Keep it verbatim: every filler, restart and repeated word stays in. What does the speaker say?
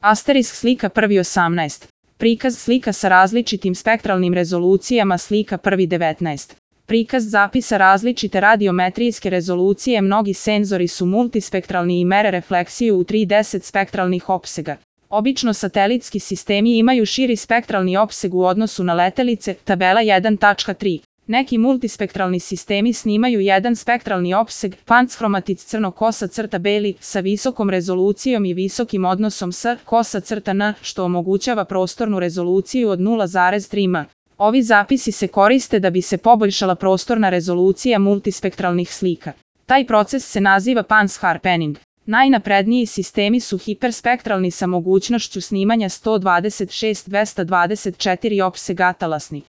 Asterisk slika prvi osamnaest. Prikaz slika sa različitim spektralnim rezolucijama slika prvi devetnaest. Prikaz zapisa različite radiometrijske rezolucije. Mnogi senzori su multispektralni i mere refleksiju u tri do deset spektralnih opsega. Obično satelitski sistemi imaju širi spektralni opseg u odnosu na letelice, tabela jedan tačka tri. Neki multispektralni sistemi snimaju jedan spektralni opseg, panchromatic crno-kosa crta beli, sa visokom rezolucijom i visokim odnosom s kosa crta n, što omogućava prostornu rezoluciju od nula zarez tri em. Ovi zapisi se koriste da bi se poboljšala prostorna rezolucija multispektralnih slika. Taj proces se naziva pansharpening. Najnapredniji sistemi su hiperspektralni sa mogućnošću snimanja sto dvadeset šest do dvesta dvadeset četiri opsega talasnih.